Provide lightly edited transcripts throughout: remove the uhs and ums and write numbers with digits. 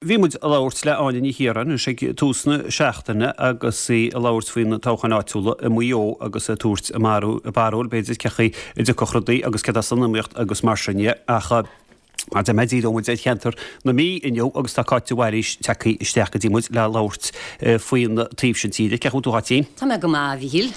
Bhí muid ag labhairt le Áine Ní Chiaráin anois ag tús na seachtaine agus í ag labhairt faoi na toghcháin áitiúla i Maigh Eo agus ag tabhairt a barúil b'fhéidir cé chaoi a dtiocfadh rudaí agus céard atá san iomaíocht agus mar sin dhe. Ach mar a deir mé díreoidh muid ar cheantar na Mí inniu agus tá Cáit de Bhailís tagtha isteach go dtí muid le labhairt faoin taobh sin tíre. Cén chaoi a bhfuil tú a Cháitín? Tá mé go maith, a Mhíchíl.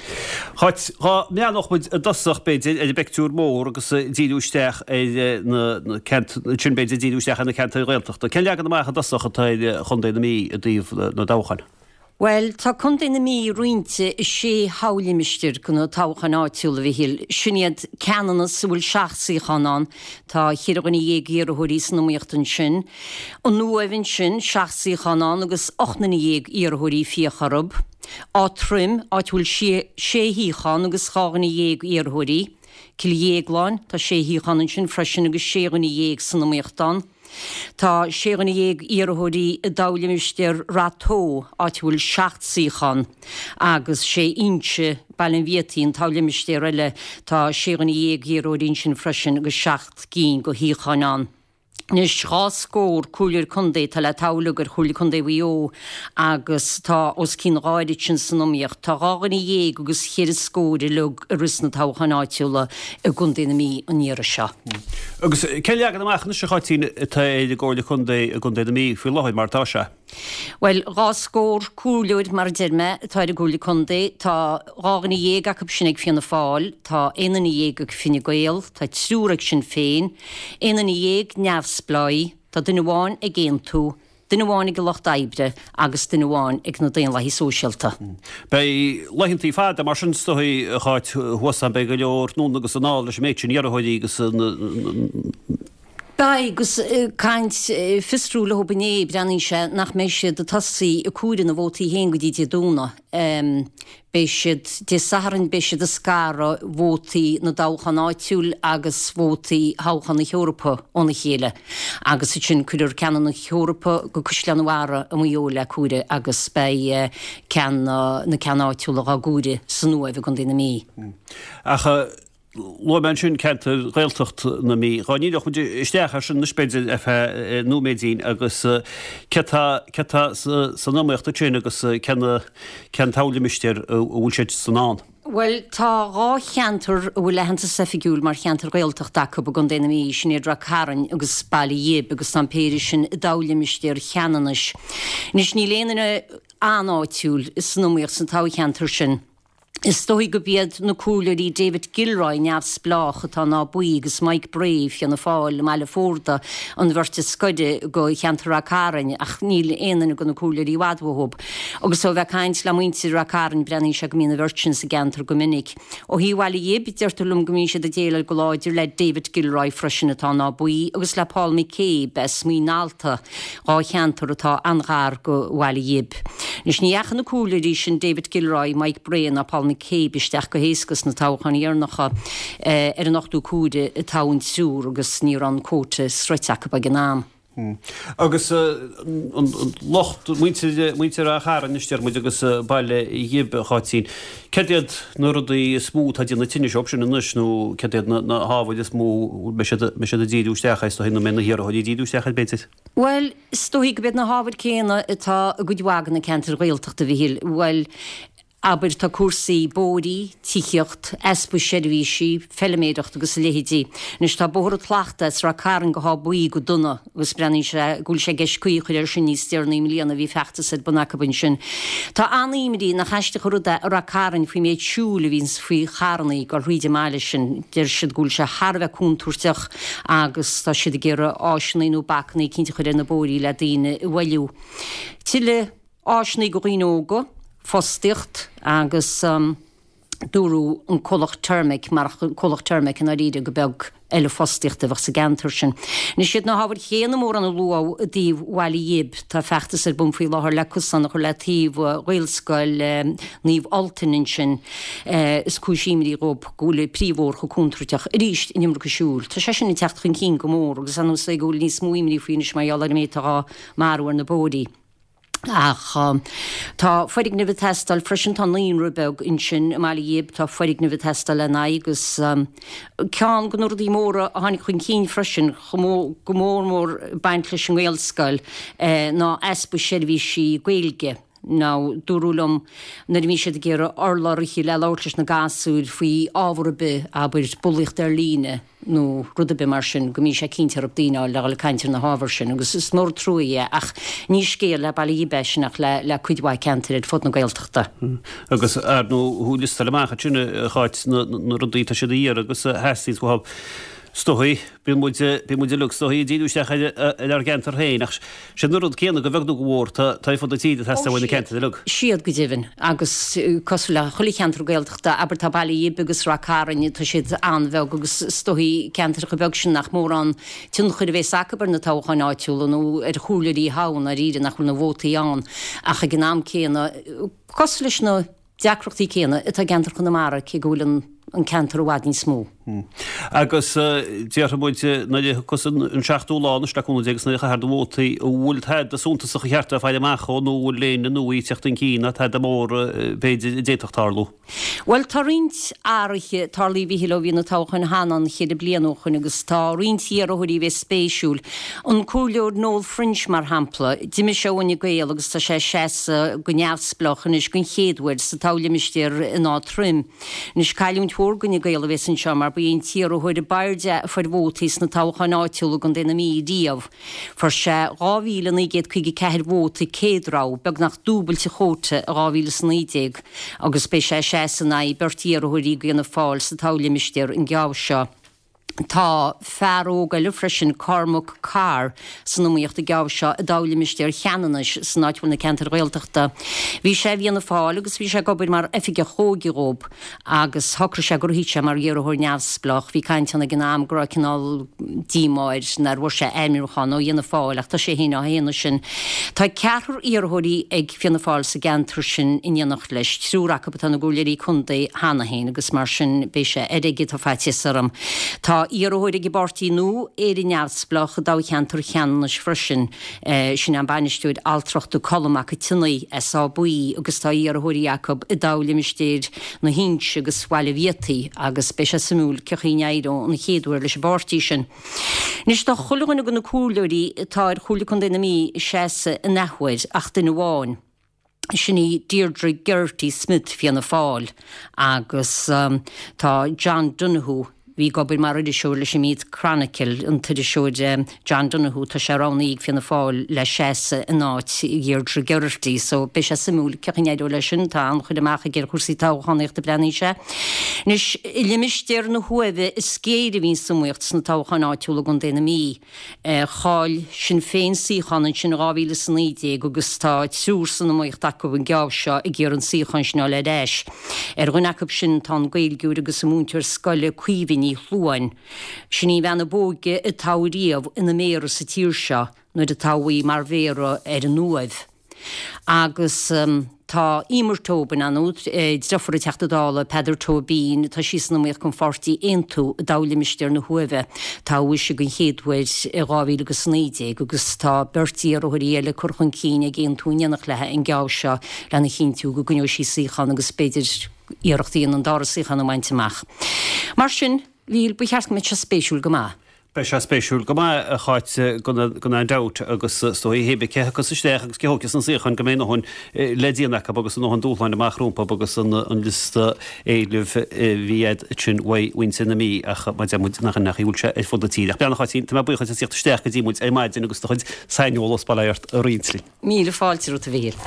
Cháit, dhá mbreathnódh muid i dtosach, b'fhéidir, ar an bpictiúr mór agus díriú isteach ar na ceantair, ansin b'fhéidir díriú isteach ar na ceantair Ghaeltachta. Cén leagan amach i dtosach atá ar Chontae na Mí i dtaobh na dtoghchán? Bhuel, tá Contae na Mí roinnte i sé thoghlimistéar do na toghcháin áitiúla, a Mhichíl. Sin iad Ceanannas, a bhfuil seacht suíochán ann, tá cheithre dhuine dhéag iarrthóirí san iomaíocht ansin. An Uaimh ansin, seacht suíochán ann agus 18 nduine iarrthóirí ag fiach orthu. Áth Troim, áit a bhfuil sé shuíochán agus 12 dhuine iarrthóirí. Cill Dhéagláin, tá sé shuíochán ansin freisin agus sé dhuine dhéag san iomaíocht ann. Tá sé dhuine dhéag iarrthóirí i dtoghlimistéar Rath Tó, áit a bhfuil seacht suíochán, agus sé Inse, Baile an Bhiataigh, an toghlimistéar eile, tá sé dhuine dhéag iarrthóirí ansin freisin agus seacht gcinn de shuíocháin ann. Anois, dhá scór comhairleoir contae atá le toghadh uilig ar Chomhairle Contae Mhaigh Eo agus tá os cionn a dhá oiread sin san iomaíocht. Tá dhá dhuine dhéag agus cheithre scór uilig ag rith sna toghcháin áitiúla i gContae na Mí an iarraidh seo. Agus cén leagan amach anois, a Cháitín, atá ar an gComhairle Contae i gContae na Mí faoi láthair mar atá sé? Bhuel, dhá scór comhairleoir, mar a deir mé, atá ar an gComhairle Contae. Tá dhá dhuine dhéag acu sin ag Fianna Fáil, tá aon duine dhéag ag Fine Gael, tá triúr ag Sinn Féin, aon duine dhéag neamhspleáigh, tá duine amháin ag Aontú, duine amháin ag an Lucht Oibre agus duine amháin ag na Daonlathaigh Sóisialta. Beidh laethantaí fada mar sin is dóigh, a Cháit, thuas ann. Beidh go leor anonn agus anall leis an méid sin iarrthóirí agus na. Beidh, agus caint fiosrú leo inné, breathnaíonn sé nach mbeidh siad ag tosaí ag comhaireamh na vótaí féin go dtí Dé Domhnaigh. Beidh siad, Dé Sathairn, beidh siad ag scaradh vótaí na dtoghchán áitiúil agus vótaí thoghchán na hEorpa óna chéile agus ansin cuirfear ceann na hEorpa go Caisleán an Bharraigh i Maigh Eo le comhaireamh agus beidh ceann na ceann áitiúla dhá gcomhaireamh san Uaimh i gContae na Mí. Ach Luaigh mé ansin ceantair Ghaeltacht na Mí. Dhá ndíreodh muid isteach air sin anois b'fhéidir ar feadh nóiméidín agus céard tá céard tá san iomaíocht ansin agus cén cén toghlimistéar a bhfuil siad san ann? Bhuel, tá dhá cheantar a bhfuil aitheantas oifigiúil mar cheantair Ghaeltachta acu i gContae na Mí, sin iad Ráth Cairn agus Baile Ghib agus tá an péire sin i dtoghlimistéar Cheanannais. Anois níl aon duine an-áitiúil san iomaíocht sna toghcheantair sin. Is dóigh gurb iad na comhairleoirí David Gilroy, Neamhspleách, atá in Áth Buí agus Mike Bray, Fianna Fáil, i mBaile Fórda, an bheirt is gaire do cheantar Ráth Cairn ach níl aon duine de na comhairleoirí i bhfad uathu. Agus ó bheith ag caint le muintir Ráth Cairn breathnaíonn sé go mbíonn an bheirt sin sa gceantar go minic. Ó thaobh Bhaile Ghib, deirtear liom go mbíonn siad ag déileáil go láidir le David Gilroy freisin atá in Áth Buí agus le Paul McCabe as Muin Allta. Dhá cheantar atá an-ghar go Bhaile Ghib. Anois ní dheachaigh na comhairleoirí sin David Gilroy, Mike Bray ná Paul McCabe isteach go héasca sna toghcháin dheireanacha. Ar an ochtú comhaireamh a toghadh an triúr agus ní raibh an quota sroichte acu ag an am. Agus an lucht, muintir, muintir Ráth Chairn anois deir muid agus Baile Ghib, a Cháitín, céard iad na rudaí is mó atá ag déanamh tinnis dóibh sin anois nó céard iad na hábhair is mó a mbeidh siad, mbeidh siad ag díriú isteach air, is dóigh, nó mbeidh na hiarrthóirí ag díriú isteach air, b'fhéidir? Bhuel, is dóigh gurb iad na hábhair céanna atá i gcuid mhaith de na ceantair Ghaeltachta, a Mhichíl. Bhuel, abair, tá cúrsaí bóithrí, tithíocht, easpa seirbhísí, feiliméireacht agus a leithéidí. Anois tá Bóthar an tSlachta as Ráth Cairn go hÁth Buí go dona agus breathnaíonn sé go bhfuil sé i gceist caoi a chur air sin níos deireanaí i mbliana, bhí feachtas ar bun acu ansin. Tá an-imní, nach aisteach an rud é, i Ráth Cairn faoin méid siúil a bhíonns faoi charrannaí ag dul thríd an mbaile sin. Deir siad go bhfuil sé thar a bheith contúirteach agus tá siad ag iarraidh áiseanna nó bacanna eicínt a chur ar na bóithrí le daoine a mhoilliú. Tuilleadh áiseanna do dhaoine óga, fostaíocht agus dúradh an comhlacht Termec, marach an comhlacht Termec i ndáiríre go beag eile fostaíochta a bheadh sa gceantar sin. Anois iad na hábhair chéanna mórán a luadh i dtaobh Bhaile Ghib. Tá feachtas ar bun faoi láthair le cosán a chur le taobh Ghaelscoil Naomh Ultain ansin. Is cúis imní dhóibh go bhfuil an príomhbhóthar chomh contúirteach. Arís, an iomarca siúil. Tá sé sin ag teacht chun cinn go mór agus ar nós é go bhfuil níos mó imní faoi anois mar gheall ar an méid atá dhá marú ar na bóithrí. Ach tá foirgnimh ag teastáil freisin, tá naíonra beag ansin i mBaile Ghib, tá foirgnimh ag teastáil lena aghaidh agus ceann de na rudaí móra a tháinig chun cinn freisin, go mór mór ag baint leis an nGaelscoil, ná easpa seirbhísí Gaeilge. Now, dúradh liom nuair a bhíonn siad ag iarraidh urlabhraithe le labhairt leis na gasúir faoi ábhar ar bith, abair, bulaíocht ar líne nó rud ar bith mar sin, go mbíonn sé cinnte orthu daoine a fháil le dhul ag caint ar na hábhair sin agus is mór an trua é ach ní scéal le Baile Ghib é sin ach le cuid mhaith ceantair ar fud na Gaeltachta. Agus ar ndóigh thú liostáil amach ansin a Cháit na rudaí atá siad a iarraidh agus a theastaíonns uathu. Is dóigh, bíonn muid, bíonn muid uilig is dóigh ag díriú isteach ar, ar ár gceantar féin ach sin an rud céanna go bheag nó go mhór tá, tá ar fud na tíre ag teastáil uaidh na ceantair uilig. Siad go deimhin agus cosúil le chuile cheantar Gaeltachta, abair tá Baile Ghib agus Rath Cairn, tá siad an-bheag agus is dóigh ceantracha beag sin nach mórán tionchair a bhéas acu ar na toghcháin áitiúla nó ar chomhairleoirí a thoghadh i ndáiríre nach bhfuil na vótaí ann ach ag an am céanna cosúil leis na deacrachtaí céanna atá i gceantar Chonamara, cé go bhfuil an ceantar i bhfad níos mó. Agus déarfaidh muid, nuair a thiocfas an seachtú lá anois le cúnamh Dé agus nuair a chaithfear do vótaí, an bhfuil tada suntasach a cheart a bheith ag faire amach dhó nó an bhfuil éinne nua ag teacht chun cinn ná tada mór b'fhéidir a d'fhéadfadh tarlú? Bhuel, tá roinnt athruithe tarlaithe a Mhíchíl ó bhí na toghcháin cheana ann cheithre bliana ó shoin agus tá roinnt iarrthóirí a bheas spéisiúil. An Comhairleoir Noel French, mar shampla, d'imigh sé ó Fhine Gael agus tá sé ag seasamh go neamhspleách anois den chéad uair sa toghlimistéar in Áth Troim. Anois, cailliúint mhór d'Fhine Gael a bheas anseo mar ba é an t-iarrthóir ab airde a fuair vótaí sna toghcháin áitiúla i gContae na Mí riamh. Fuair sé 2,954 vóta céad rogha, beagnach dúbailt a chóta i 2019, agus beidh sé ag seasamh in aghaidh beirt iarrthóirí d'Fhianna Fáil sa toghlimistéar an geábh seo. Tá fear óg eile freisin, Cormac Carr, san iomaíocht an geábh seo i dtoghlimistéar Cheanannais, san áit a bhfuil na ceantair Ghaeltachta. Bhí sé i bhFianna Fáil agus bhí sé ag obair mar oifigeach óige dhób. agus shocraigh sé go rithfeadh sé mar iarrthóir neamhspleách. Bhí caint ann ag an am go raibh cineál díomá air nár bhfuair sé ainmniúchán ó Fhianna Fáil ach tá sé féin á shéanadh sin. Tá ceathrar iarrthóirí ag Fianna Fáil sa gceantar sin in éineacht leis, triúr acu atá ina gcomhairleoirí contae cheana féin agus mar sin beidh sé ar aige, tá faitíos orm. Tá iarrthóir ag an bpáirtí nua, Éire Neamhspleách, i dtoghcheantar Cheanannais freisin. Sin an bainisteoir altrachta Colm Mac Tionnaith as Áth Buí agus tá iarrthóirí acu i dtoghlimistéir na hInse agus Bhaile Bhiataigh agus beidh sé suimiúil cén chaoi a n-éireoidh an chéad uair leis an bpáirtí sin. Anois tá chuile dhuine de na comhairleoirí atá ar Chomhairle Contae na Mí ag seasamh an athuair ach duine amháin. Sin í Deirdre Geraghty Smith, Fianna Fáil, agus tá John Donoghue, bhí ag obair mar iriseoir leis an Meath Chronicle, an t-iriseoir John Donoghue, tá sé roghnaithe ag Fianna Fáil le seasamh in áit Dheirdre Geraghty. So beidh sé suimiúil cén chaoi a n-éireoidh leis sin, tá an-chur amach aige ar chúrsaí toghchánaíochta breathnaíonn sé. Anois, i limistéar na hUaimhe is géire a bhí an iomaíocht sna toghcháin áitiúla i gContae na Mí. Chaill Sinn Féin suíochán ansin in 2019 agus tá triúr san iomaíocht acu an geábh seo ag iarraidh an suíochán sin a fháil ar ais. Ar dhuine acu sin tá an Gaeilgeoir agus an múinteoir scoile Caoimhe Ní Shluain. Sin í an bhean ab óige a toghadh riamh ina méara sa tír seo nuair a toghadh í mar mhéara ar an Uaimh. Agus tá Emer Tobin ann, deirfiúr an Teachta Dála Peadar Tóibín, tá sí san iomaíocht don pháirtí Aontú i dtoghlimistéar na hUaimhe. Toghadh ise den chéad uair i 2019 agus tá beirt iarrthóirí eile curtha chun cinn ag Aontú in éineacht léi an geábh seo lena chinntiú go gcoinneoidh sí suíochán agus b'fhéidir iarracht a dhéanamh an dara suíochán a bhaint amach. Mar sin, Mhíchíl, ba cheart go mbeadh sé spéisiúil go maith. Beidh sé spéisiúil go maith, a Cháit, gan aon dabht, agus is dóigh, hé bith cé a thiocfas isteach agus cé a thógfas an suíochán go mbeidh a ndóthain le déanamh acu agus a ndóthain dúshláin amach rompu agus an liosta éilimh a bhí agat ansin uaidh mhuintir na Mí ach mar a deir muid nach ionadh go bhfuil sé ar fud na tíre. Ach beannacht Cháitín, tá mé buíoch duit as tíocht isteach go dtí muid ar maidin agus do chuid saineolas bail ort a roinnt linn. Míle fáilte romhat a Mhíchíl.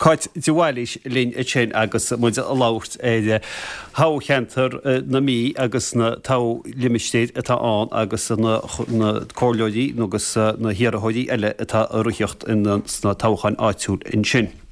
Cáit de Bhailís linn ansin agus muid ag labhairt ar thoghcheantar na Mí agus na toghlimistéir atá ann agus na comhairleoirí agus na hiarrthóirí eile atá ag rith sna toghcháin áitiúil ansin.